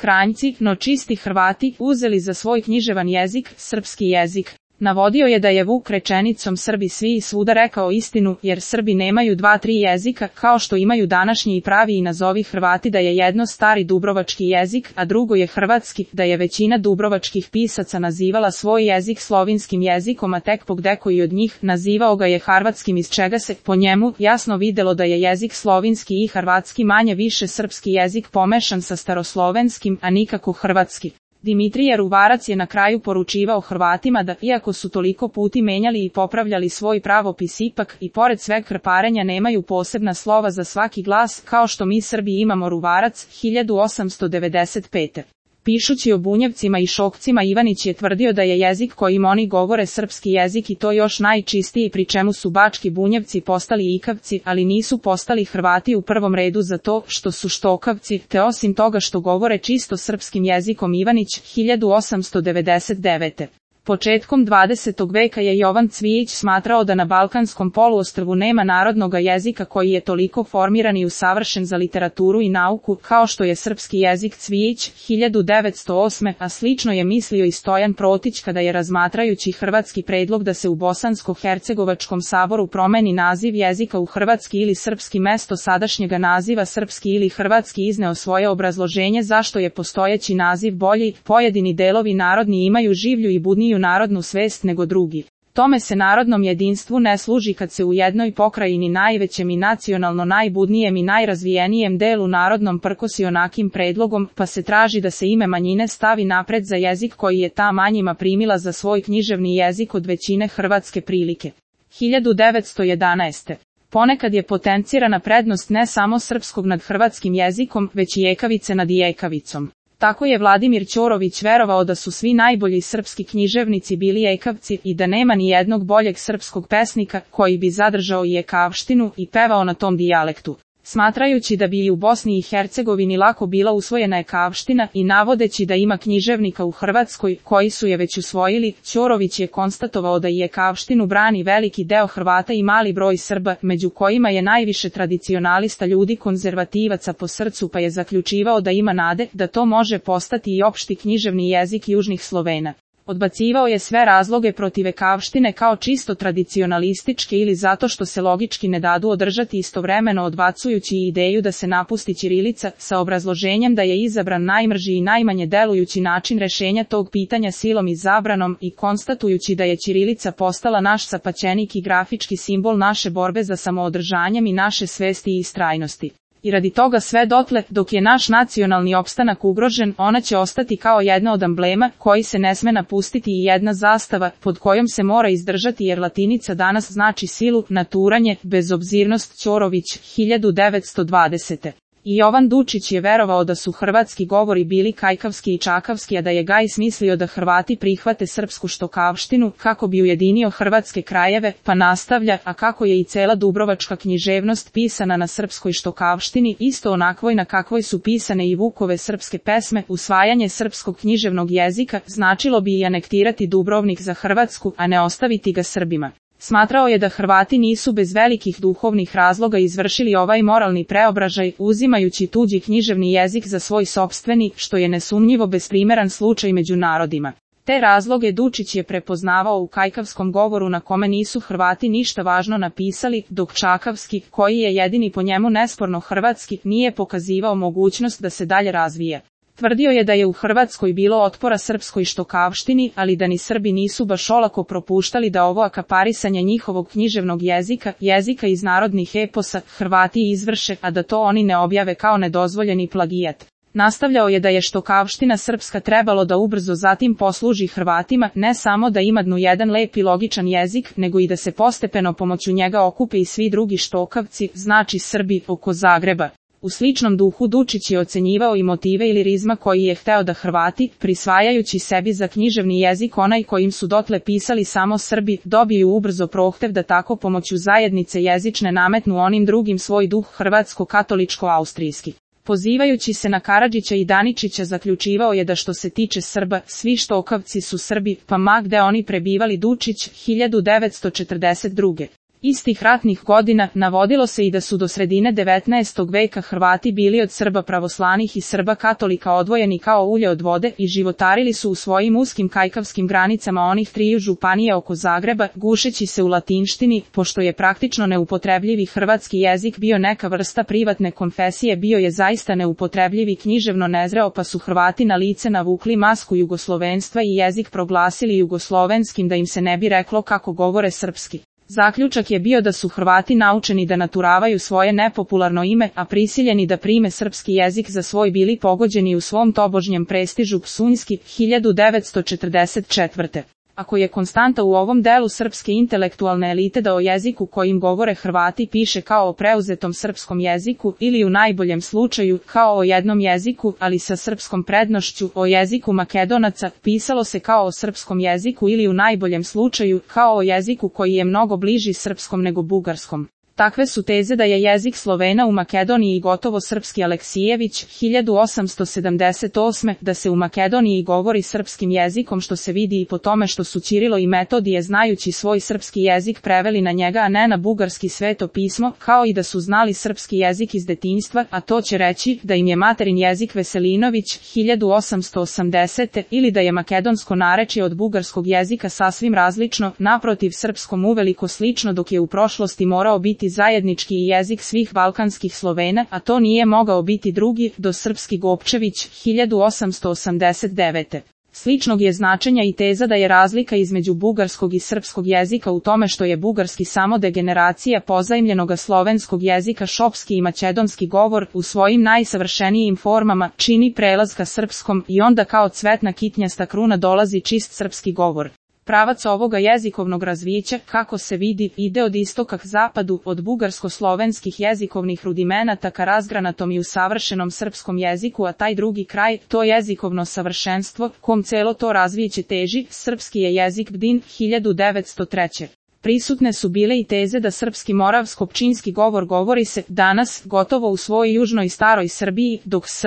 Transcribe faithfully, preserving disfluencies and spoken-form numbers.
Kranjci, no čisti Hrvati, uzeli za svoj književan jezik, srpski jezik. Navodio je da je Vuk rečenicom Srbi svi i svuda rekao istinu, jer Srbi nemaju dva tri jezika, kao što imaju današnji i pravi i nazovi Hrvati, da je jedno stari dubrovački jezik, a drugo je hrvatski, da je većina dubrovačkih pisaca nazivala svoj jezik slovinskim jezikom, a tek pogdeko od njih nazivao ga je harvatskim, iz čega se, po njemu, jasno videlo da je jezik slovinski i harvatski manje više srpski jezik pomešan sa staroslovenskim, a nikako hrvatski. Dimitrije Ruvarac je na kraju poručivao Hrvatima da, iako su toliko puti menjali i popravljali svoj pravopis, ipak, i pored sveg krparenja, nemaju posebna slova za svaki glas, kao što mi Srbi imamo. Ruvarac, hiljadu osamsto devedeset pete. Pišući o Bunjevcima i Šokcima, Ivanić je tvrdio da je jezik kojim oni govore srpski jezik, i to još najčistiji, pri čemu su bački Bunjevci postali ikavci, ali nisu postali Hrvati u prvom redu zato što su štokavci, te osim toga što govore čisto srpskim jezikom. Ivanić, hiljadu osamsto devedeset devete. Početkom dvadesetog veka je Jovan Cvijić smatrao da na Balkanskom poluostrvu nema narodnoga jezika koji je toliko formiran i usavršen za literaturu i nauku, kao što je srpski jezik. Cvijić, hiljadu devetsto osme. A slično je mislio i Stojan Protić kada je, razmatrajući hrvatski predlog da se u Bosansko-hercegovačkom saboru promeni naziv jezika u hrvatski ili srpski mesto sadašnjega naziva srpski ili hrvatski, izneo svoje obrazloženje zašto je postojeći naziv bolji. Pojedini delovi narodni imaju življu i budniju narodnu svest nego drugi. Tome se narodnom jedinstvu ne služi kad se u jednoj pokrajini, najvećem i nacionalno najbudnijem i najrazvijenijem delu narodnom, prkosi onakim predlogom, pa se traži da se ime manjine stavi napred za jezik koji je ta manjima primila za svoj književni jezik od većine hrvatske prilike. hiljadu devetsto jedanaeste. Ponekad je potencirana prednost ne samo srpskog nad hrvatskim jezikom, već i ekavice nad ijekavicom. Tako je Vladimir Ćorović verovao da su svi najbolji srpski književnici bili ekavci i da nema ni jednog boljeg srpskog pesnika koji bi zadržao i ekavštinu i pevao na tom dijalektu. Smatrajući da bi i u Bosni i Hercegovini lako bila usvojena ekavština i navodeći da ima književnika u Hrvatskoj koji su je već usvojili, Ćorović je konstatovao da i ekavštinu brani veliki deo Hrvata i mali broj Srba, među kojima je najviše tradicionalista, ljudi konzervativaca po srcu, pa je zaključivao da ima nade da to može postati i opšti književni jezik južnih Slovena. Odbacivao je sve razloge protiv ekavštine kao čisto tradicionalističke ili zato što se logički ne dadu održati, istovremeno odbacujući ideju da se napusti ćirilica, sa obrazloženjem da je izabran najmrži i najmanje delujući način rešenja tog pitanja silom i zabranom, i konstatujući da je ćirilica postala naš sapaćenik i grafički simbol naše borbe za samoodržanjem i naše svesti i istrajnosti. I radi toga sve dotle, dok je naš nacionalni opstanak ugrožen, ona će ostati kao jedna od amblema koji se ne sme napustiti i jedna zastava pod kojom se mora izdržati, jer latinica danas znači silu, naturanje, bezobzirnost. Ćorović, hiljadu devetsto dvadesete. I Jovan Dučić je verovao da su hrvatski govori bili kajkavski i čakavski, a da je Gajs mislio da Hrvati prihvate srpsku štokavštinu kako bi ujedinio hrvatske krajeve, pa nastavlja, a kako je i cela dubrovačka književnost pisana na srpskoj štokavštini, isto onakvoj na kakvoj su pisane i Vukove srpske pesme, usvajanje srpskog književnog jezika značilo bi i anektirati Dubrovnik za Hrvatsku, a ne ostaviti ga Srbima. Smatrao je da Hrvati nisu bez velikih duhovnih razloga izvršili ovaj moralni preobražaj, uzimajući tuđi književni jezik za svoj sopstveni, što je nesumnjivo besprimeran slučaj među narodima. Te razloge Dučić je prepoznavao u kajkavskom govoru na kome nisu Hrvati ništa važno napisali, dok čakavski, koji je jedini po njemu nesporno hrvatski, nije pokazivao mogućnost da se dalje razvije. Tvrdio je da je u Hrvatskoj bilo otpora srpskoj štokavštini, ali da ni Srbi nisu baš olako propuštali da ovo akaparisanje njihovog književnog jezika, jezika iz narodnih eposa, Hrvati izvrše, a da to oni ne objave kao nedozvoljeni plagijat. Nastavljao je da je štokavština srpska trebalo da ubrzo zatim posluži Hrvatima, ne samo da imadnu jedan lep i logičan jezik, nego i da se postepeno pomoću njega okupe i svi drugi štokavci, znači Srbi, oko Zagreba. U sličnom duhu Dučić je ocenjivao i motive i lirizma koji je hteo da Hrvati, prisvajajući sebi za književni jezik onaj kojim su dotle pisali samo Srbi, dobiju ubrzo prohtev da tako pomoću zajednice jezične nametnu onim drugim svoj duh hrvatsko-katoličko-austrijski. Pozivajući se na Karadžića i Daničića, zaključivao je da što se tiče Srba, svi štokavci su Srbi, pa ma gde oni prebivali. Dučić, hiljadu devetsto četrdeset druge. Istih ratnih godina navodilo se i da su do sredine devetnaestog veka Hrvati bili od Srba pravoslanih i Srba katolika odvojeni kao ulje od vode i životarili su u svojim uskim kajkavskim granicama onih triju županija oko Zagreba, gušeći se u latinštini, pošto je praktično neupotrebljivi hrvatski jezik bio neka vrsta privatne konfesije, bio je zaista neupotrebljivi književno nezreo, pa su Hrvati na lice navukli masku jugoslovenstva i jezik proglasili jugoslovenskim da im se ne bi reklo kako govore srpski. Zaključak je bio da su Hrvati naučeni da naturavaju svoje nepopularno ime, a prisiljeni da prime srpski jezik za svoj bili pogođeni u svom tobožnjem prestižu Psunjski, hiljadu devetsto četrdeset četvrte. Ako je konstanta u ovom delu srpske intelektualne elite da o jeziku kojim govore Hrvati piše kao o preuzetom srpskom jeziku ili u najboljem slučaju kao o jednom jeziku, ali sa srpskom prednošću, o jeziku Makedonaca, pisalo se kao o srpskom jeziku ili u najboljem slučaju kao o jeziku koji je mnogo bliži srpskom nego bugarskom. Takve su teze da je jezik Slovena u Makedoniji gotovo srpski. Aleksijević, hiljadu osamsto sedamdeset osme. Da se u Makedoniji govori srpskim jezikom, što se vidi i po tome što su Ćirilo i Metodije znajući svoj srpski jezik preveli na njega, a ne na bugarski sveto pismo, kao i da su znali srpski jezik iz detinjstva, a to će reći da im je materin jezik Veselinović, hiljadu osamsto osamdesete. ili da je makedonsko narečje od bugarskog jezika sasvim različno, naprotiv srpskom uveliko slično, dok je u prošlosti morao biti zajednički jezik svih balkanskih Slovena, a to nije mogao biti drugi, do srpski Gopčević, hiljadu osamsto osamdeset devete. Sličnog je značenja i teza da je razlika između bugarskog i srpskog jezika u tome što je bugarski samo degeneracija pozajmljenoga slovenskog jezika. Šopski i makedonski govor u svojim najsavršenijim formama čini prelaz ka srpskom i onda kao cvetna kitnjasta kruna dolazi čist srpski govor. Pravac ovoga jezikovnog razvića, kako se vidi, ide od istoka k zapadu, od bugarsko-slovenskih jezikovnih rudimenata ka razgranatom i usavršenom srpskom jeziku, a taj drugi kraj, to jezikovno savršenstvo, kom celo to razvijeće teži, srpski je jezik Bdin, hiljadu devetsto treće. Prisutne su bile i teze da srpski moravsko-pčinski govor govori se danas gotovo u svojoj južnoj staroj Srbiji, dok s